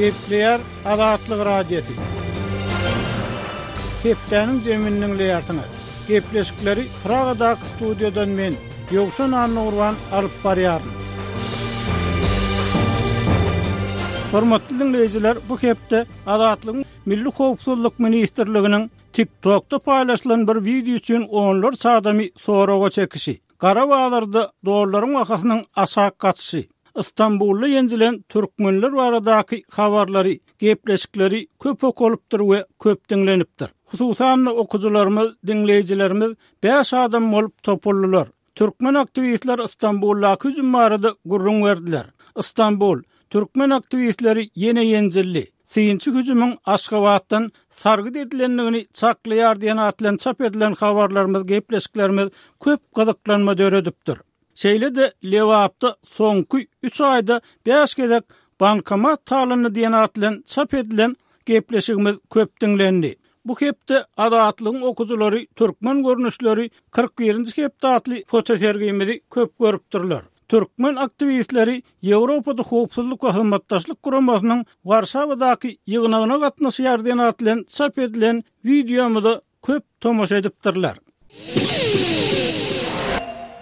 Gepleýär Azatlyk Radiosy. Hepdäniň jemini diňleýärsiňiz. Gepleşikleri Pragadaky studiýadan men, Ýowşan Annagurban alyp barýaryn. Hormatly diňleýjiler, bu hepde Azatlygyň Milli howpsuzlyk ministrliginiň TikTokda paýlaşylan bir wideo üçin onlarça adamy soraga çekişi, gara bazarda dollaryň bahasynyň aşak gaçyşy, Stambulda ýenjilen türkmenler baradaky habarlary, gepleşikleri köp okalypdyr we köp diňlenipdir. Hususan-da, okyjylarymyz, diňleýjilerimiz bäş adam bolup topuldylar. Türkmen aktiwistler Stambuldaky hüjüm barada gürrüň berdiler. Stambul, Türkmen aktiwistleri ýene ýenjildi. Synçy hüjümiň Aşgabatdan sargyt edilendigini çaklaýar diýen at bilen çap edilen habarlarymyz, gepleşiklerimiz köp gyzyklanma döredipdir. Şeýle-de Lebapda soňky üç aýda bäş gezek bankomat talandy diýen at bilen çap edilen gepleşigimiz köp diňlendi. Bu hepde Azatlygyň okyjylary Türkmen görnüşleri 41-nji hepde atly fotosergimizi köp görüpdirler. Türkmen aktiwistleri Ýewropada Howpsuzlyk we Hyzmatdaşlyk Guramasynyň Warşawadaky ýygnagyna gatnaşýar diýen at bilen çap edilen wideomyza köp tomaşa edipdirler.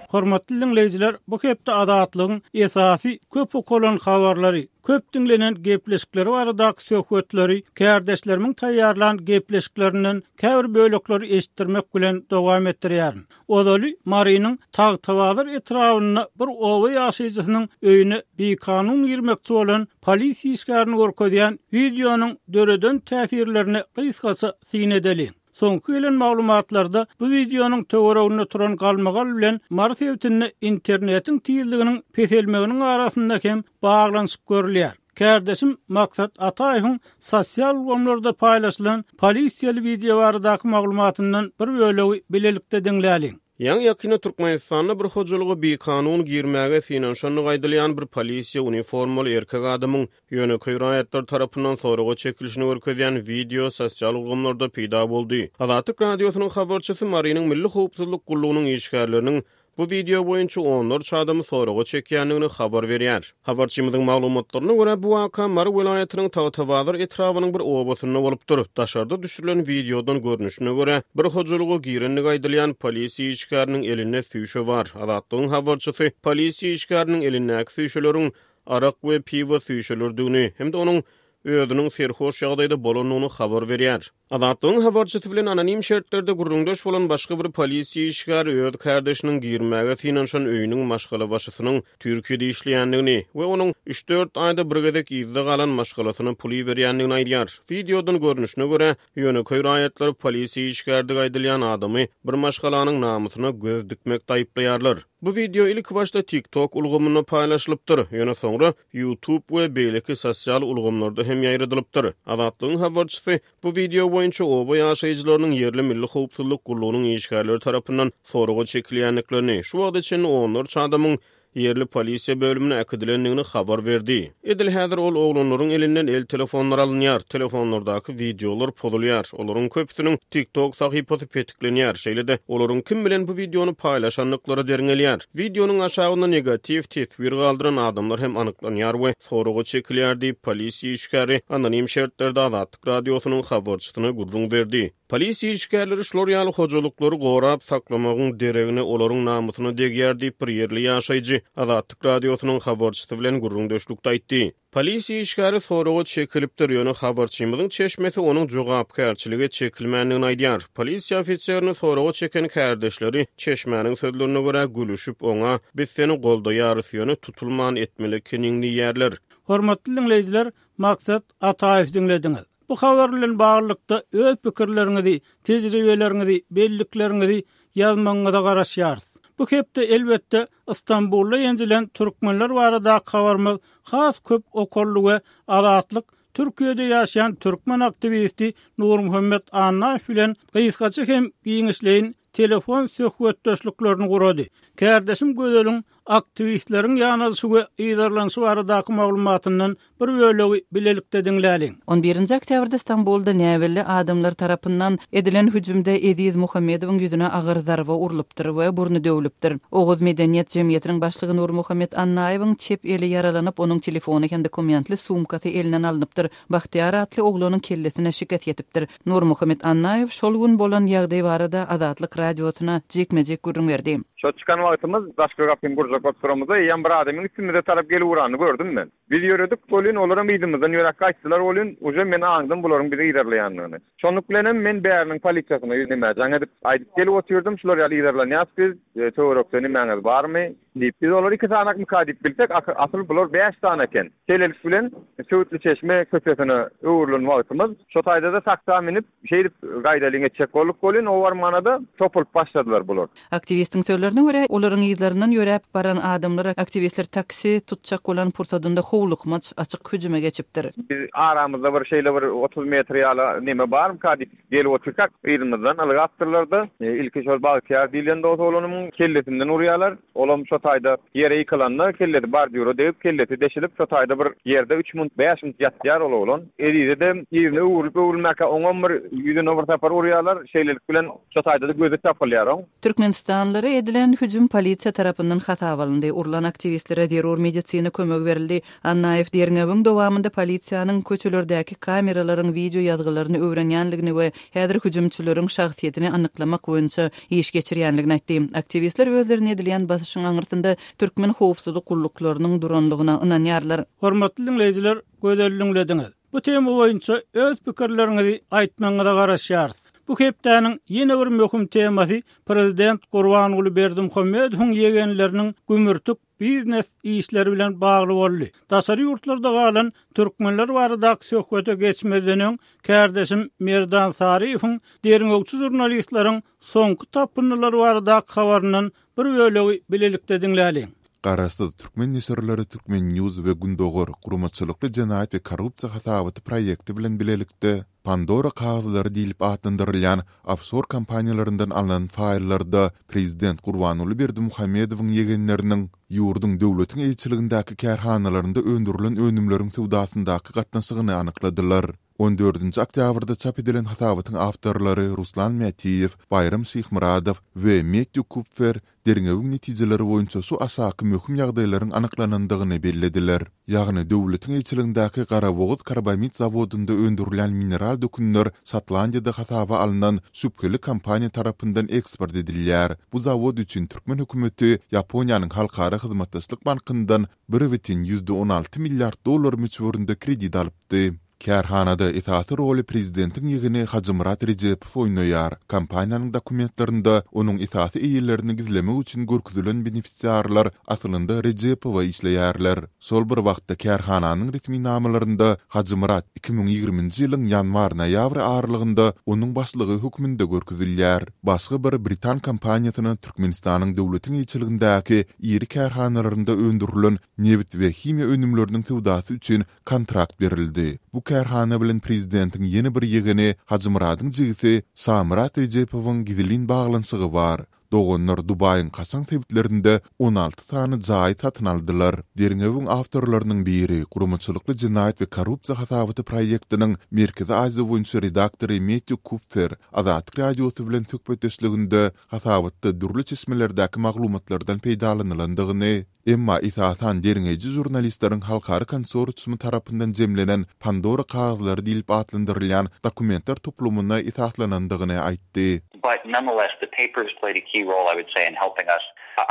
Hormatly diňleýjiler, bu hepde Azatlygyň esasy köp okalan habarlary, köp diňlenen gepleşikleri baradaky söhbetleri kärdeşlerimiň taýýarlan gepleşiklerinden käbir bölekleri eşitdirmek bilen dowam etdirýärin. Ozaly Marynyň Tagtabazar etrabynda bir oba ýaşaýjysynyň öýüne bikanun girmekçi bolan polisiýa işgärini görkezýän wideonyň döreden täsirlerine gysgaça syn edeliň. Soňky gelen maglumatlarda bu wideonyň töwereginde turan galmagal bilen Mary sebitinde internetiň tizliginiň peselmeginiň arasynda hem baglanyşyk görülýär. Kärdeşim Maksat Ataýewiň sosial ulgamlarda paýlaşylan polisiýaly wideo baradaky maglumatyndan bir bölegi bilelikde diňläliň. Ýaňy-ýakynda Türkmenistanda bir hojalyga bikanun girmäge synanyşandygy aýdylýan bir polisiýa uniformaly erkek adamyň ýönekeý raýatlar tarapyndan soraga çekilişini görkezýän wideo sosial ulgamlarda peýda boldy. Azatlyk Radiosynyň habarçysy Marynyň Milli howpsuzlyk gullugynyň işgärleriniň bu wideo boýunça onlarça adamy soraga çekýändigini habar berýär. Habarçymyzyň maglumatlaryna görä, bu waka Mary welaýatynyň Tagtabazar etrabynyň bir obasynda bolupdyr. Daşarda düşürilen wideodan görnüşine görä, bir hojalyga girendigi aýdylýan polisiýa işgäriniň elinde süýşe bar. Azatlygyň habarçysy polisiýa işgäriniň elindäki süýşeleriň arak we piwo süýşeleridigini hem-de onuň özüniň serhoş ýagdaýda bolandygyny habar berýär. Azatlygyň habarçysy bilen anonim şertlerde gürrüňdeş bolan başga bir polisiýa işgäri öz kärdeşiniň girmäge synanyşan öýüniň maşgalabaşysynyň Türkiýede işleýändigini we onuň üç-dört aýda bir gezek yzda galan maşgalasyna pul iberýändigini aýdýar. Wideodan görnüşine görä, ýönekeý raýatlar polisiýa işgärdigi aýdylýan adamy bir maşgalanyň namysyna göz dikmekde aýyplaýarlar. Bu wideo ilkibaşda TikTok ulgamynda paýlaşylypdyr, ýöne soňra YouTube we beýleki sosial ulgamlarda hem ýaýradylypdyr. Azatlygyň habarçysy bu wideo boýunça oba ýaşaýjylarynyň ýerli Milli howpsuzlyk gullugynyň işgärleri tarapyndan soraga çekilýändiklerini, şu wagta çenli onlarça adamyň ýerli polisiýa bölümine äkidilendigini habar berdi. Edil häzir ol oglanlaryň elinden el telefonlary alynýar, telefonlardaky wideolar pozulýar, olaryň köpüsiniň TikTok sahypasy petiklenýär, şeýle-de olaryň kim bilen bu wideony paýlaşandyklary derňelýär. Wideonyň aşagynda negatiw teswir galdyran adamlar hem anyklanýar we soraga çekilýär diýip, polisiýa işgäri anonim şertlerde Azatlyk Radiosynyň habarçysyna gürrüň berdi. Polisiýa işgärleri şular ýaly hojalyklary gorap saklamagyň deregine olaryň namysyna degýär diýip, bir ýerli ýaşaýjy Azatlyk Radiosynyň habarçysy bilen gürrüňdeşlikde aýtdy. Polisiýa işgäri soraga çekilipdir, ýöne habarçymyzyň çeşmesi onuň jogapkärçilige çekilmändigini aýdýar. Polisiýa ofiserini soraga çeken kärdeşleri, çeşmäniň sözlerine görä, gülüşip, oňa, Biz seni goldaýarys, ýöne tutulman etmeli ekeniň diýýärler. Hormatly diňleýjiler, Maksat Ataýewi diňlediňiz. Bu habar bilen baglylykda öz pikirleriňizi, tejribeleriňizi, bellikleriňizi ýazmagyňyza garaşýarys. Bu hepde elbetde Stambulda ýenjilen türkmenler baradaky habarymyz has köp okaldy we Azatlyk Türkiýede ýaşaýan türkmen aktiwisti Nurmuhammet Annaýew bilen gysgaça hem giňişleýin telefon söhbetdeşliklerini gurady. Kärdeşim Gözeliň. aktiwistleriň ýanalyşy we yzarlanyşy baradaky maglumatyndan bir bölegi bilelikde diňläliň. On birinji oktýabrda Stambulda näbelli adamlar tarapyndan edilen hüjümde Eziz Muhammedowyň ýüzüne agyr zarba urlupdyr we burny döwlüpdir. Oguz medeniýet jemgyýetiniň başlygy Nurmuhammet Annaýewiň çep eli ýaralanyp, onuň telefony hem dokumentli sumkasy elinden alnypdyr. Bagtyýar atly oglanyň kellesine şikes ýetipdir. Nurmuhammet Annaýew şol gün bolan ýagdaý barada Azatlyk Radiosyna jikme-jik gürrüň berdi. Şo çykan wagtymyz daşky gapyny gurjak bolup duramyzda eýýäm bir adamyň üstümize tarap gelip uranyny gördüm men. Biz ýöredik welin olaram yzymyzdan ýöräp gaýtdylar welin uje men aňdym bularyň bizi yzarlaýandygyny. Şonluk bilenem men bäriniň polisiýasyna nämä jaň edip aýdyp gelip otyrdym şular ýaly yzarlanýas biz töwerekde nimäňiz barmy diýip. Biz olary iki sanakmyka diýip bilsek asyl bular bäş sany eken. Şeýlelik bilen Söwütliçeşme köçesine öwrülen wagtymyz şo taýda-da taksa münüp şeýdip gaýdalyň etjek bolduk welin o barmana-da topulyp başladylar bular. Aktiwistiň sözlerine görä, olaryň yzlaryndan ýöräp baran adamlar aktiwistler taksi tutjak bolan pursadynda howlukmaç açyk hüjüme geçipdir. Biz aramyzda bir şeýle bir 30 metr ýaly neme barmyka diýip gelip otyrkak, yzymyzdan ylgapdyrlar-da, ilki şol Bagtyýar diýlen dos oglanymyň kellesinden urýarlar. Olam şo taýda ýere ýykylanda kellesi bordýura degip, kellesi deşilip, şo taýda bir ýerde üç munt, bäş munt ýatýar ol oglan. Ezize-de yzyna öwrülip-öwrülmäkä oňam bir ýüzüne bir sapar urýarlar. Şeýlelik bilen Şo taýda-da gözi tapylýar oň. Türkmenistanlylara edilen hüjüm polisiýa tarapyndan hasaba alyndy. Urlan aktiwistlere zerur medisina kömegi berildi. Annaýew derňewiň dowamynda polisiýanyň köçelerdäki kameralaryň wideo ýazgylaryny öwrenýändigini we häzir hüjümçileriň şahsyýetini anyklamak boýunça iş geçirýändigini aýtdy. Aktiwistler özlerine edilýän basyşyň aňyrsynda türkmen howpsuzlyk gulluklarynyň durandygyna ynanýarlar. Hormatly diňleýjiler, gözel diňlediňiz. Bu tema boýunça öz pikirleriňizi aýtmagyňyza garaşýarys. Bu hepdäniň ýene bir möhüm temasy prezident Gurbanguly Berdimuhamedowyň ýegenleriniň gümürtik biznes işleri bilen bagly boldy. Daşary ýurtlarda galan türkmenler baradaky söhbete geçmezden öň, kärdeşim Merdan Saryýewiň derňewçi žurnalistleriň soňky tapyndylary baradaky habaryndan Bir bölegi bilelikde diňläliň. Garaşsyz türkmen neşirleri Turkmen News we Gündogar guramaçylykly jenaýat we korrupsiýa hasabaty proýekti bilen bilelikde Pandora kagyzlary diýlip atlandyrylýan ofşor kompaniýalaryndan alnan faýllarda prezident Gurbanguly Berdimuhamedowyň ýegenleriniň ýurduň döwletiň eýeçiligindäki kärhanalarynda öndürilen önümleriň söwdasyndaky gatnaşygyny anykladylar. On dördünji oktýabrda çap edilen hasabatyň awtorlary Ruslan Mätiýew, Baýram Şyhmyradow we Mettýu Kupfer derňewiň netijeleri boýunça şu aşaky möhüm ýagdaýlaryň anyklanandygyny bellediler. Ýagny döwletiň eýeçiligindäki Garabogaz karbamid zawodynda öndürilýän mineral dökünler Şotlandiýada hasaba alnan şübheli kompaniýa tarapyndan eksport edilýär. Bu zawod üçin türkmen hökümeti Ýaponiýanyň Halkara hyzmatdaşlyk bankyndan 1,16 milliard dollar möçberinde kredit alypdy. Kärhanada esasy roly prezidentiň ýegeni Hajymyrat Rejepow oýnaýar. Kompaniýanyň dokumentlerinde onuň esasy eýelerini gizlemek üçin görkezilen benefisiarlar aslynda Rejepowa işleýärler. Şol bir wagtda kärhananyň resminamalarynda Hajymyrat 2020-nji ýylyň ýanwar-noýabr aralygynda onuň başlygy hökmünde görkezilýär. Başga bir britan kompaniýasyna Türkmenistanyň döwletiň eýeçiligindäki iri kärhanalarynda öndürilen nebit we himiýa önümleriniň söwdasy üçin kontrakt berildi. Bu kärhana bilen prezidentiň ýene bir ýegeni Hajymyradyň jigisi Şamyrat Rejepowyň gizlin baglanyşygy bar. Doganlar Dubaýyň kaşaň sebitlerinde 16 sany jaýy satyn aldylar. Derňewiň awtorlarynyň biri, Guramaçylykly jenaýat we korrupsiýa hasabaty proýektiniň Merkezi Aziýa boýunça redaktory Mettýu Kupfer Azatlyk Radiosy bilen söhbetdeşliginde hasabatda dürli çeşmelerdäki maglumatlardan peýdalanylandygyny, emma esasan derňeýji žurnalistleriň halkara konsorsiumy tarapyndan jemlenen Pandora kagyzlary diýlip atlandyrylýan dokumentler toplumyna esaslanandygyny aýtdy. But nonetheless the papers played a key role I would say in helping us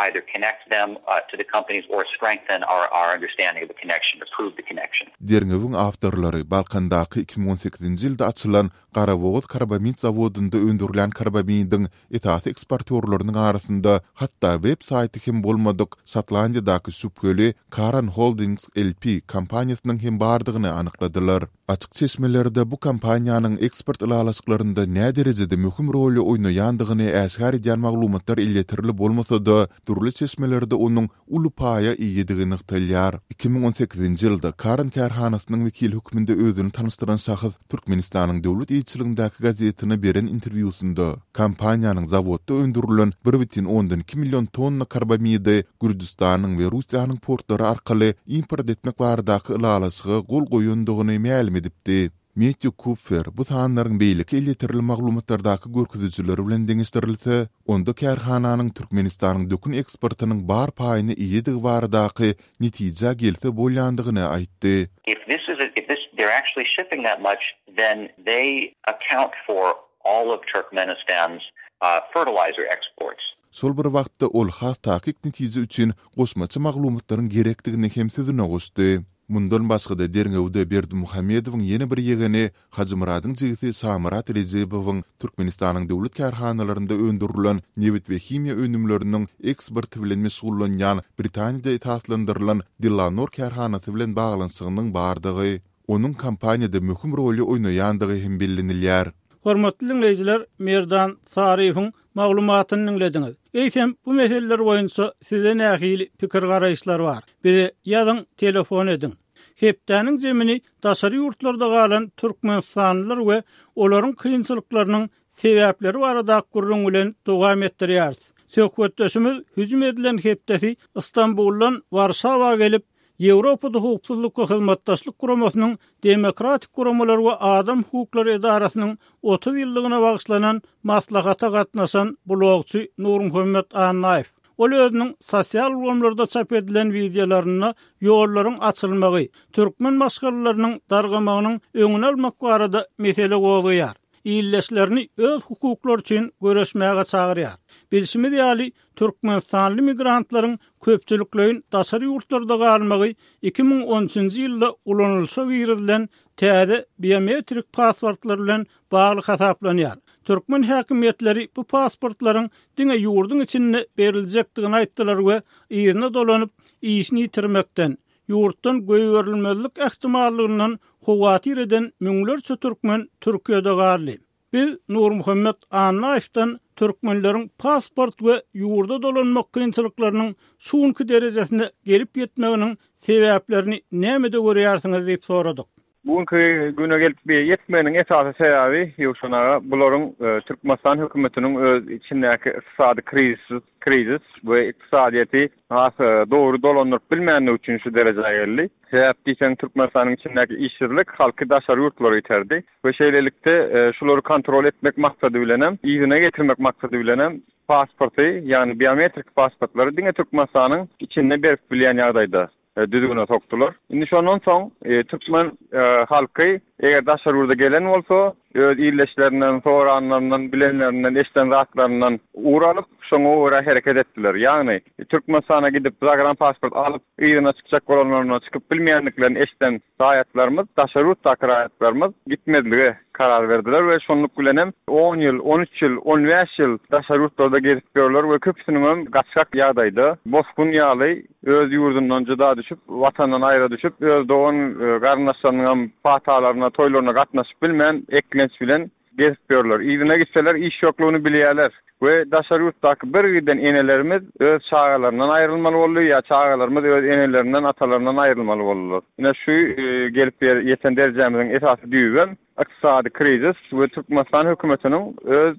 either connect them to the companies or strengthen our our understanding of the connection or prove the connection. Derňewiň awtorlary Balkandaky 2018-nji ýylda açylan Garabogaz karbamid zawodynda öndürilýän karbamidiň esasy eksportýorlarynyň arasynda hatda web saýty hem bolmadyk Şotlandiýadaky şübheli Karan Holdings LP kompaniýasynyň hem bardygyny anykladylar. Açyk çeşmelerde bu kompaniýanyň eksport ylalaşyklarynda näderejede möhüm roly oýnaýandygyny äşgär edýän maglumatlar elýeterli bolmasa-da, dürli çeşmelerde onuň uly paýa eýedigi nygtalýar. 2018-nji ýylda Karan kärhanasynyň wekili hökmünde özüni tanyşdyran şahs Türkmenistanyň döwlet. eýeçiligindäki gazetine beren interwýusynda kompaniýanyň zawodda öndürilen bir bütin ondan iki million tonna karbamidi Gürjüstanyň we Russiýanyň portlary arkaly import etmek baradaky ylalaşyga gol goýandygyny mälim edipdi. Metýu Kupfer bu sanlaryň beýleki elýeterli maglumatlardaky görkezijileri bilen deňeşdirilse, onda kärhananyň Türkmenistanyň dökün eksportynyň bar paýyna eýedigi baradaky netijä gelse bolýandygyny aýtdy. If this is if this they're actually shipping that much then they account for all of Turkmenistan's fertilizer exports. Şol bir wagtda ol has takyk netije üçin goşmaça maglumatlaryň gerekdigini hem sözüne goşdy. Mundan başga-da derňewde Berdimuhamedowyň ýene bir ýegeni Hajymyradyň jigisi Şamyrat Rejebowyň Türkmenistanyň döwlet kärhanalarynda öndürilen nebit we himiýa önümleriniň eksporty bilen meşgullanýan Britaniýada esaslandyrylan Delanor kärhanasy bilen baglanyşygynyň bardygy, onuň kompaniýada möhüm roly oýnaýandygy hem bellenilýär. Hormatly diňleýjiler, Merdan Saryýewiň maglumatyny diňlediňiz. Eýsem, bu meseleler boýunça sizde nähili pikir-garaýyşlar bar? Bize ýazyň, telefon ediň. Hepdäniň jemini daşary ýurtlarda galan türkmenistanlylar we olaryň kynçylyklarynyň sebäpleri baradaky gürrüň bilen dowam etdirýäris. Söhbetdeşimiz hüjüm edilen hepdesi Stambuldan Warşawa gelip, Ýewropada Howpsuzlyk we Hyzmatdaşlyk Guramasynyň Demokratik guramalar we adam hukuklary edarasynyň 30 ýyllygyna bagyşlanan maslahata gatnaşan blogçy Nurmuhammet Annaýew. Ol özüniň sosial ulgamlarda çap edilen wideolarynda ýollaryň açylmagy, türkmen maşgalalarynyň dargamagynyň öňüni almak barada mesele gozgaýar. Ildeşlerini öz hukuklary üçin göreşmäge çagyrýar. Bilşimiz ýaly, türkmenistanly migrantlaryň köpçülikleýin daşary ýurtlarda galmagy 2013-nji ýylda ulanylyşa girizilen täze biometrik pasportlar bilen bagly hasaplanýar. Türkmen häkimiýetleri bu pasportlaryň diňe ýurduň içinde beriljekdigini aýtdylar we yzyna dolanyp, işini ýitirmekden, ýurtdan goýberilmezlik ähtimallygyndan howatyr eden müňlerçe türkmen Türkiýede galdy. Biz Nurmuhammet Annaýewden türkmenleriň pasport we ýurda dolanmak kynçylyklarynyň şu günki derejesine gelip ýetmeginiň sebäplerini nämede görýärsiňiz diýip soradyk. Bu günki güne gelip ýetmeginiň esasy sebäbi, Ýowşan aga, bularyň Türkmenistan hökümetiniň öz içindäki ykdysady krizis, krizis we ykdysadyýeti has dogry dolandyryp bilmänligi üçin şu derejä geldi. Sebäp diýseň, Türkmenistanyň içindäki işsizlik halky daşary ýurtlara iterdi we şeýlelikde şulary kontrol etmek maksady bilenem, yzyna getirmek maksady bilenem pasporty, ýagny biometrik pasportlary diňe Türkmenistanyň içinde berip bilýän ýagdaýda düzgüne sokdular. Indi şondan soň türkmen halky eger daşary ýurda gelen bolsa, öz ildeşlerinden, soranlaryndan, bilenlerinden, eşiden zatlaryndan ugur alyp, şoňa görä hereket etdiler. Ýagny, Türkmenistana gidip zagranpasport alyp, yzyna çykjak bolanlarynda çykyp bilmeýändiklerini eşiden raýatlarymyz, daşary ýurtdaky raýatlarymyz gitmezlige karar berdiler we şonluk bilenem on ýyl, on üç ýyl, on bäş ýyl daşary ýurtlarda gezip ýörler we köpüsiniňem gaçgak ýagdaýda, bosgun ýaly öz ýurdundan jyda düşüp, Watandan aýra düşüp, öz dogan garyndaşlarynyňam patalaryna, toýlaryna gatnaşyp bilmän, eklenç bilen gezip ýörler. Yzyna gitseler iş ýoklugyny bilýärler we daşary ýurtdaky bir giden enelerimiz öz çagalaryndan aýrylmaly boldy ýa çagalarymyz öz enelerinden, atalaryndan aýrylmaly boldular. Ine şu gelip ýeten derejämiziň esasy düýbem ykdysady krizis we Türkmenistan hökümetiniň öz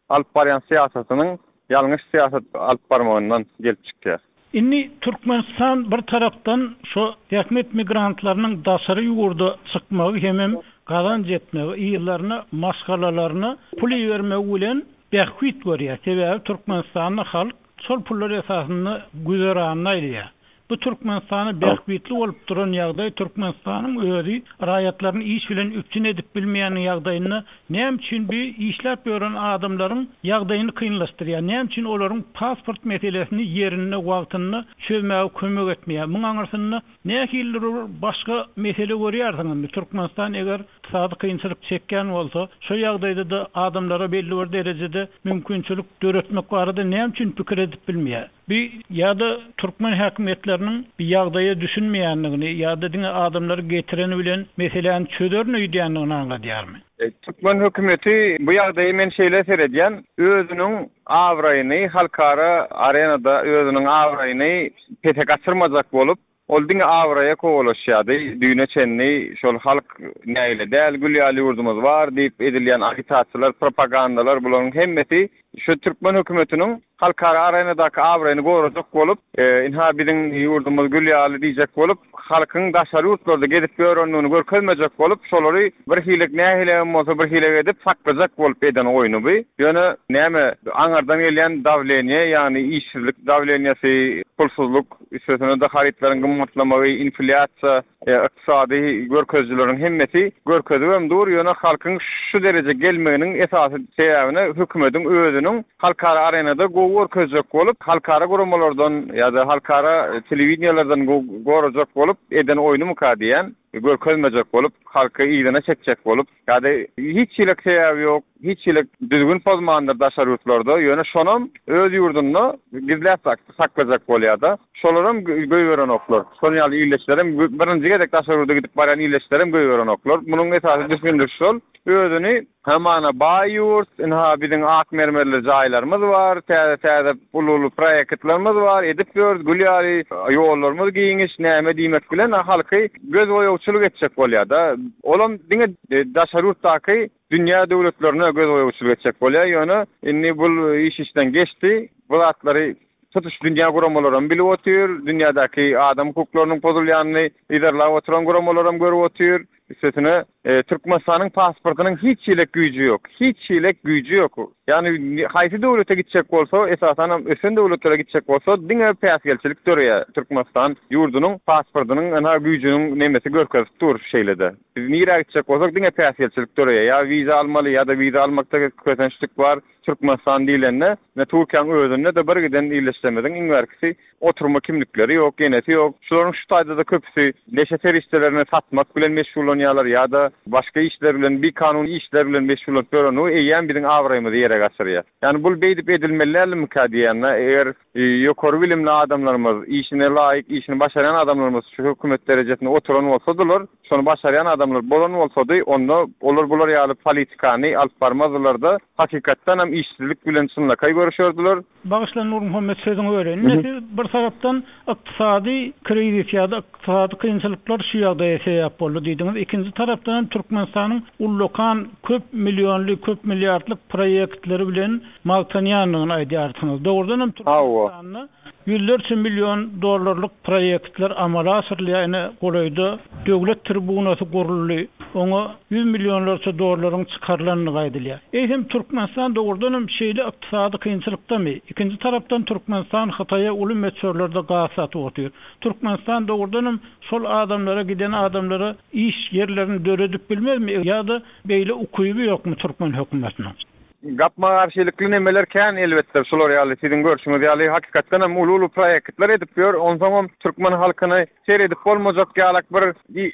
alyp barýan syýasatynyň ýalňyş syýasat alyp barmagyndan gelip çykýar. Indi Türkmenistan bir tarapdan şo zähmet migrantlarynyň daşary ýurda çykmagy hemem gazanç etmegi, yzlaryna, maşgalalaryna pul ibermegi bilen bähbit görýär. Sebäbi Türkmenistanda halk şol pullar esasynda güzeranyny aýlaýar. Bu Türkmenistana bähbitli bolup duran ýagdaý Türkmenistanyň özi raýatlaryny iş bilen üpjün edip bilmeýän ýagdaýynda näme üçin bi işläp ýören adamlaryň ýagdaýyny kynlaşdyrýar, näme üçin olaryň pasport meselesini ýerinde wagtynda çözmäge kömek etmeýär? Muň aňyrsynda nähilidir bir başga mesele görýärsiňizmi? Türkmenistan eger ykdysady kynçylyk çekýän bolsa, şo ýagdaýda-da adamlara belli bir derejede mümkinçilik döretmek barada näme üçin pikir edip bilmeýär? Bu ýa-da türkmen häkimiýetleriniň bu ýagdaýa düşünmeýändigini ýa-da diňe adamlary getireni bilen meseläni çözerin öýdýändigini aňladýarmy? Türkmen hökümeti bu ýagdaýa men şeýle seredýän, özüniň abraýyny halkara arenada özüniň abraýyny pese gaçyrmajak bolup, Ol diňe abraýa kowalaşýardy. Düýne çenli şol halk nägile däl, gül ýaly ýurdumyz bar diýip edilýän agitasiýalar, propagandalar bularyň hemmesi şu türkmen hökümetiniň halkara arenadaky abraýyny gorajak bolup, ynha biziň ýurdumyz gül ýaly diýjek bolup, halkyň daşary ýurtlarda gezip ýörendigini görkezmejek bolup, şolary bir hilek nähilem bolsa bir hilek edip saklajak bolup eden oýny bu. Ýöne näme aňardan gelýän dawleniýe, ýagny işsizlik dawleniýesi, pulsuzlyk, Üstesine-de harytlaryň gymmatlamagy, inflýasiýa, ykdysady görkezijileriň hemmesi görkezibem dur, ýöne halkyň şu derejä gelmeginiň esasy sebäbine hökümetiň özüniň halkara arenada gowy görkezjek bolup, halkara guramalardan ýa-da halkara telewideniýelerden gorajak bolup eden oýnumyka diýýän, görkezmejek bolup, halky yzyna çekjek bolup. Ýa-da hiç hili sebäbi ýok, hiç hili düzgün pozmandyr daşary ýurtlarda, ýöne şonam öz ýurdunda gizläp saklajak bolýar-da. Şolaram goýberenoklar. Şonuň ýaly ildeşlerem, birinji gezek daşary ýurda gidip barýan ildeşlerem goýberenoklar. Munuň esasy düşündirişi şol. Özüni hamana baý ýurt, ynha biziň ak mermerli jaýlarymyz bar, täze-täze uly-uly proýektlerimiz bar, edip ýörüs, gül ýaly ýollarymyz giňiş, näme diýmek bilen halky gözboýagçylyk etjek bolýar-da. Olam diňe daşary ýurtdaky dünýä döwletlerine gözboýagçylyk etjek bolýar. Ýöne indi bul iş işden geçdi. Bu zatlary tutuş dünýä guramalaram bilip otyr. Dünýädäki adam hukuklarynyň pozulýanyny yzarlap oturan guramalaram görüp otyr. Üstesine, Türkmenistanyň pasportynyň hiç hili güýji ýok. Hiç hili güýji ýok. Ýagny haýsy döwlete gitjek bolsa, esasanam ösen döwletlere gitjek bolsa, diňe päsgelçilik döreýär. Türkmenistan ýurdunyň pasportynyň ynha güýjüniň nemesi görkezip dur şeýle-de. Biz nirä gitjek bolsak diňe päsgelçilik döreýär. Ýa wiza almaly, ýa-da wiza almakda kösençlik bar. Türkmenistan diýlende, ine Türkiýäň özünde-de bir giden ildeşlerimiziň iň bärkisi oturma kimlikleri ýok, enesi ýok. Şularyň şu taýda-da köpüsi neşe serişdelerini satmak bilen meşgullanýarlar ýa-da başga işler bilen, bikanun işler bilen meşgullanyp ýörenligi eýýäm biziň abraýymyzy ýere gaçyrýar. Ýagny bul beýdip edilmeli däldimikä diýýän-de, eger ýokary bilimli adamlarymyz, işine laýyk, işini başarýan adamlarymyz şu hökümet derejesinde oturan bolsadylar, şony başarýan adamlar bolan bolsady, onda olar bular ýaly politikany alyp barmazdylar-da, hakykatdanam işsizlik bilen çynlakaý göreşerdiler. Bagyşla Nurmuhammet sözüňi böleýin. Indi siz bir tarapdan ykdysady krizis ýa-da ykdysady kynçylyklar şu ýagdaýa sebäp boldy diýdiňiz. Ikinji tarapdan hem Türkmenistanyň ullakan köp millionly, köp milliardlyk proýektleri bilen magtanýandygyny aýdýarsyňyz. Dogrudan hem Türkmenistanda ýüzlerçe million dollarlyk proýektler amala aşyrylýar. Ine golaýda Döwlet tribunasy guruldy. Oňa ýüz millionlarça dollaryň çykarylandygy aýdylýar. Eýsem, Türkmenistan dogrudan hem şeýle ykdysady kynçylykdamy? Ikinji tarapdan, Türkmenistan Hytaýa uly möçberlerde gaz satyp otyr. Türkmenistan dogrudan hem şol adamlara, giden adamlara iş ýerlerini döredip bilmezmi ýa-da beýle ukyby ýokmy türkmen hökümetiniň? Gapma-garşylykly nemeler kän elbetde, şular ýaly siziň görşüňiz ýaly hakykatdan hem uly-uly proýektler edip ýör. Onsoňam türkmen halkyny Seredip bolmajak ýalak bir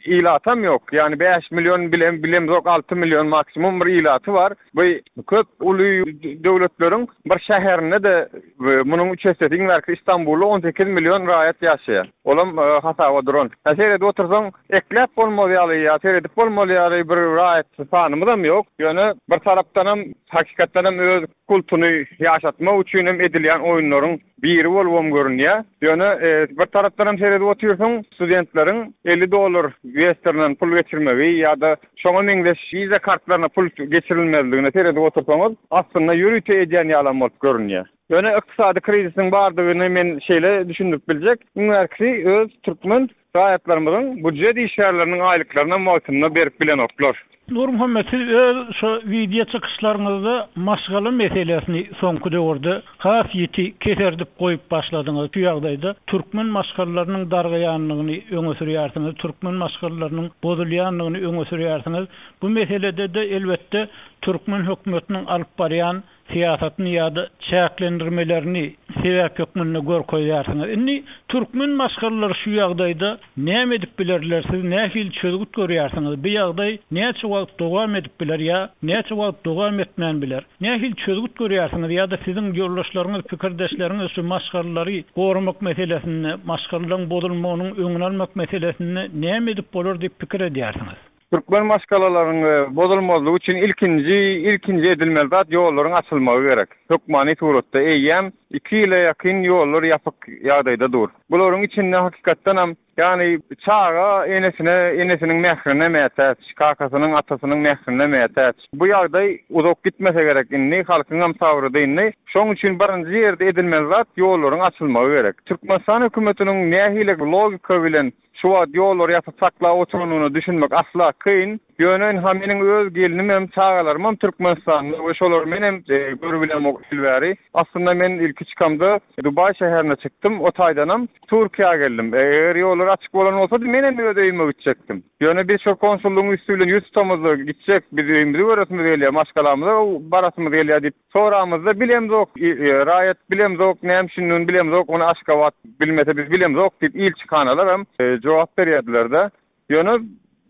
ilatam ýok. Ýagny 5 million bilem bilemzok 6 million maksimum bir ilaty bar. Bu köp uly döwletleriň bir şäherinde-de munuň üç essesi iň bärkisi Istanbulda 18 million raýat ýaşaýar. Olam hasaba duran. Hä seredip otursaň ekläp bolmaz ýaly ýa seredip bolmaz ýaly bir raýat sanymyzam ýok. Ýöne bir tarapdanam hakykatdanam öz kultuny ýaşatmak üçin hem edilýän oýunlaryň biri bolubam görünýär. Ýöne bir tarapdanam seredip otyrsyň, studentleriň 50 dollar Westernden pul geçirmegi ýa-da şoňa meňzeş Visa kartlaryna pul geçirilmezligine seredip otursaňyz, aslynda ýörite edýän ýalam bolup görünýär. Ýöne ykdysady krizisiň bardygyny men şeýle düşündirip biljek, iň bärkisi öz türkmen Raýatlarymyzyň budjet işgärleriniň aýlyklarynam wagtynda berip bilenoklar. Nurmuhammet siz öz şo wideo çykyşlaryňyzda maşgala meselesini soňky döwürde has ýiti keserdip goýup başladyňyz. Şu ýagdaýda türkmen maşgalalarynyň dargaýandygyny öňe sürýärsiňiz, türkmen maşgalalarynyň bozulýandygyny öňe sürýärsiňiz. Bu meselede-de elbetde türkmen hökümetiniň alyp barýan syýasatyny ýa-da çäklendirmelerini sebäp hökmünde görkezýärsiňiz. Indi türkmen maşgalalary şu ýagdaýda näme edip bilerler, siz nähili çözgüt görýärsiňiz? Bu ýagdaý näçe wagt dowam edip biler ýa näçe wagt dowam etmän biler? Nähili çözgüt görýärsiňiz ýa-da siziň ýoldaşlaryňyz, pikirdeşleriňiz şu maşgalalary goramak meselesinde, maşgalalaryň bozulmagynyň öňüni almak meselesinde näme edip bolar diýip pikir edýärsiňiz? Türkmen maşgalalaryň bozulmazlygy üçin ilkinji ilkinji edilmeli zat ýollaryň açylmagy gerek. Hökmany suratda eýýäm iki ýyla ýakyn ýollar ýapyk ýagdaýda dur. Bularyň içinde hakykatdanam ýagny çaga enesine enesiniň mährine mätäç, kakasynyň atasynyň mährine mätäç. Bu ýagdaý uzak gitmese gerek indi halkyňam sabry dyndy. Şoň üçin birinji ýerde edilmeli zat ýollaryň açylmagy gerek. Türkmenistan hökümetiniň nähili logika bilen Şu wagt ýollary ýapyp saklap oturanyna düşünmek asla kyn. Ýöne ynha meniň öz gelnimem, çagalarymam Türkmenistanda we şolary menem görübilemok il bäri. Aslynda men ilki çykamda Dubaý şäherine çykdym, o taýdanam Türkiýä geldim. Eger ýollar açyk bolan bolsady menem öz öýüme gitjekdim. Ýöne biz şol konsullygyň üsti bilen ýüz tutamyzda gitjek, biz öýümizi göresimiz gelýär, maşgalamyza barasymyz gelýär diýip Soramyzda bilemzok, raýat bilemzok, näme üçindigini bilemzok, ony Aşgabat bilmese biz bilemzok diýip ilçihanalaram jogap berýärdiler-de. Ýöne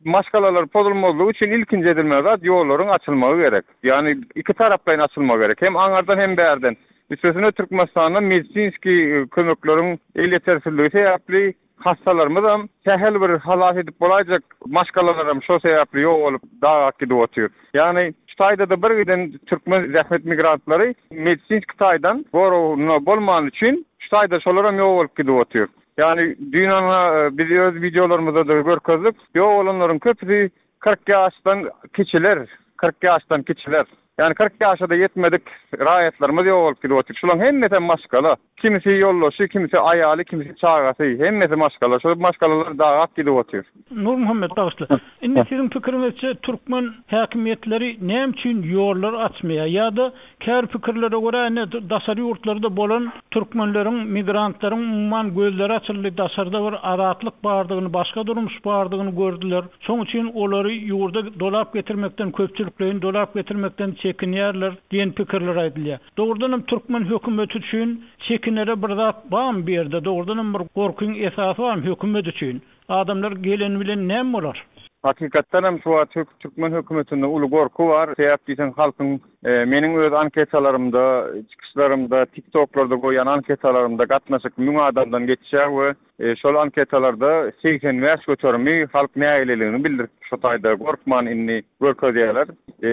maşgalalar pozulmazlygy üçin ilkinji edilmeli zat ýollaryň açylmagy gerek. Ýagny ikitaraplaýyn açylmagy gerek. Hem aňardan hem bärden. Üstesine Türkmenistanda medisinskiý kömekleriň elýetersizligi sebäpli Hassalarymyzam, sähel bir halas edip bolaýjak maşgalalaram şo sebäpli ýogalyp, dagap gidip otyr. Ýagny, şu taýda-da bir giden türkmen zähmet migrantlary medisinski taýdan goragynda bolmany üçin, şu taýda şolaram ýogalyp gidip otyr. Ýagny, düýn ana biz öz wideolarymyzda-da görkezdik, ýogalanlaryň köpüsi 40 ýaşdan kiçiler, 40 ýaşdan kiçiler. Ýagny 40 ýaşa-da ýetmedik raýatlarymyz ýogalyp gidip otyr. Şularyň hemmesem maşgala. Kimisi ýoldaşy, kimisi aýaly, kimisi çagasy, hemmesi maşgala. Şol maşgalalar dagap gidip otyr. Nurmuhammet bagyşla. Indi siziň pikiriňizçe türkmen häkimiýetleri näme üçin ýollary açmaýar? Ýa-da käbir pikirlere görä indi daşary ýurtlarda bolan türkmenleriň, migrantlaryň umuman gözleri açyldy, daşarda bir azatlyk bardygyny, başga durmuş bardygyny gördüler. Şoň üçin olary ýurda dolap getirmekden, köpçülikleýin dolap getirmekden çekinýärler diýen pikirler aýdylýar. Dogrudanam türkmen hökümeti üçin çekinere bir zat barmy bu ýerde? Dogrudanam bir gorkyň esasy barmy hökümet üçin? Adamlar geleni bilen näme bolar? Hakykatdanam şu wagt türkmen hökümetinde uly gorky bar. Sebäp diýseň halkyň meniň öz anketalarymda, çykyşlarymda, tiktoklarda goýýan anketalarymda gatnaşyk müň adamdan geçýär we şol anketalarda 85 göterimi halk nägileligini bildirip şu taýda gorkman indi görkezýärler.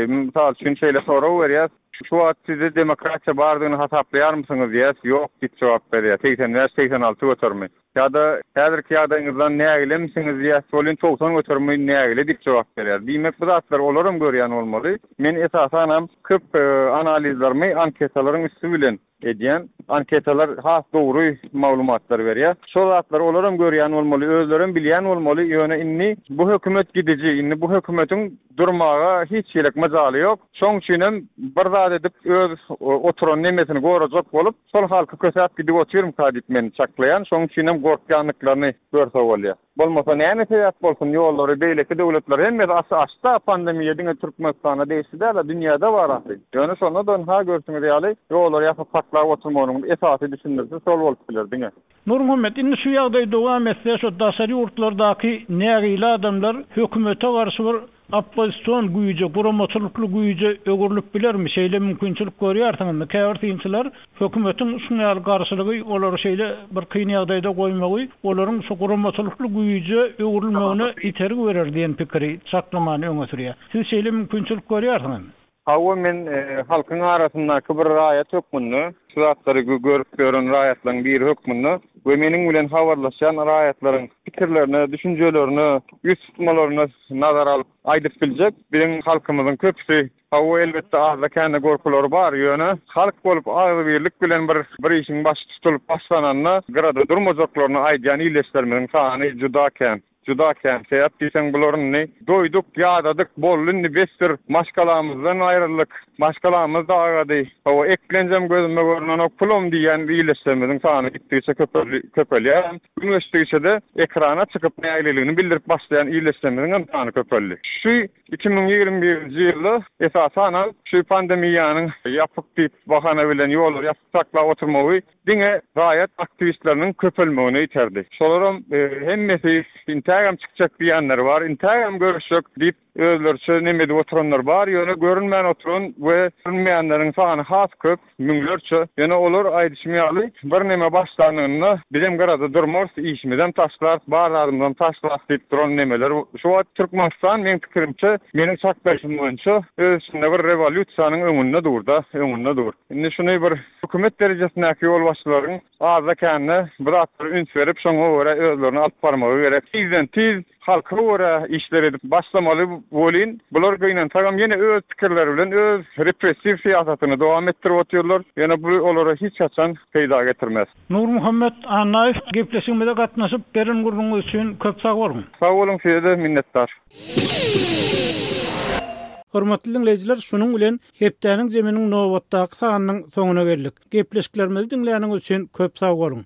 Mysal üçin şeýle sorag berýäs. Şu wagt sizde demokratiýa bardygyny hasaplaýarmysyňyz diýýäs, ýok diýip jogap berýär, 85, 86 göterimi. Ýa-da häzirki ýagdaýyňyzdan nägilemisiňiz diýýäs welin 90 göterimi nägile diýip jogap berýär. Diýmek bu zatlary olaram görýän bolmaly. Men esasanam köp analizlerimi anketalaryň üsti bilen edýän. Anketalar has dogry maglumatlary berýär. Şol zatlary olaram görýän bolmaly, özlerem bilýän bolmaly, ýöne indi bu hökümet gidiji, indi bu hökümetiň durmaga hiç hili myjaly ýok. Şoň üçinem bir zat edip öz oturan nemesini gorajak bolup, şol halky kösäp gidip otyrmyka diýip men çaklaýan. Şoň üçinem gorkýandyklaryny görse bolýar. Bolmasa näme sebäp bolsun ýollary beýleki döwletler hemmesi açy açda pandemiýa diňe Türkmenistana degişli däl-a dünýäde bar ahyry. Ýöne şonda-da ynha görşüňiz ýaly ýollary ýapyp saklap oturmagynyň esasy düşündirişi şol bolup biler diňe. Nurmuhammet indi şu ýagdaý dowam etse şu daşary ýurtlardaky nägile adamlar hökümete garşy bir Oppozision güýje, guramaçylykly güýje öwrülip bilermi? Şeýle mümkinçilik görýärsiňizmi? Käbir synçylar hökümetiň şuň ýaly garşylygy olary şeýle bir kyn ýagdaýda goýmagy olaryň şu guramaçylykly güýje öwrülmegine itergi berer diýen pikiri, çaklamany öňe sürýär. Siz şeýle mümkinçilik görýärsiňizmi? Hawa, men halkyň arasyndaky bir raýat hökmünde, şu zatlary görüp ýören raýatlaryň biri hökmünde we meniň bilen habarlaşýan raýatlaryň pikirlerine, düşünjelerine, ýüz tutmalaryna nazar alyp aýdyp biljek, biziň halkymyzyň köpüsi, hawa, elbetde azda-kände gorkulary bar, ýöne halk bolup agzybirlik bilen bir bir işiň başy tutulyp başlananda gyrada durmajaklaryny aýdýan ildeşlerimiziň sany juda kän. Juda kän. Sebäp diýseň bular indi doýduk, ýadadyk, boldy indi besdir. Maşgalamyzdan aýryldyk. Maşgalamyz dagady. Hawa, eklenjem gözüme görnenok, pulam diýýän ildeşlerimiziň sany gitdigiçe köpelýär. Gün geçdigiçe-de ekrana çykyp nägileligini bildirip başlaýan ildeşlerimiziň hem sany köpeldi. Şu 2021-nji ýylda esasanam şu pandemiýanyň ýapyk diýip bahana bilen ýollary ýapyk saklap oturmagy diňe raýat aktiwistleriniň köpelmegine iterdi. Şolaram hemmesi intägem çykjak diýýänleri bar, intägem görüşjek diýip. özleriçe neme edip oturanlar bar, ýöne görünmän oturan we görünmeýänleriň sany has köp, müňlerçe. Ýöne olar aýdyşym ýaly, bir neme başlanynda bizem gyrada durmarys, işimizem taşlarys, bar zadymyzam taşlarys diýip duran nemeler. Şu wagt Türkmenistan meň pikirimçe, meniň çaklaýşym boýunça öz içinde bir rewolýusiýanyň öňünde dur-da, öňünde dur. Indi şuny bir hökümet derejesindäki ýolbaşçylaryň azda-kände bu zatlara üns berip, şoňa görä özlerini alyp barmagy gerek. Tizden-tiz halka görä işler edip başlamaly welin, bular gynansagam ýene öz pikirleri bilen öz repressiw syýasatyny dowam etdirip otyrlar. Ýöne bu olara hiç haçan peýda getirmez. Nurmuhammet Annaýew gepleşigimize gatnaşyp beren gürrüňiňiz üçin köp sag boluň. Sag boluň size-de minnetdar. Hormatly diňleýjiler şunuň bilen hepdäniň zeminiň nobatdaky sanynyň soňuna geldik. Gepleşiklerimizi diňläniňiz üçin köp sag boluň.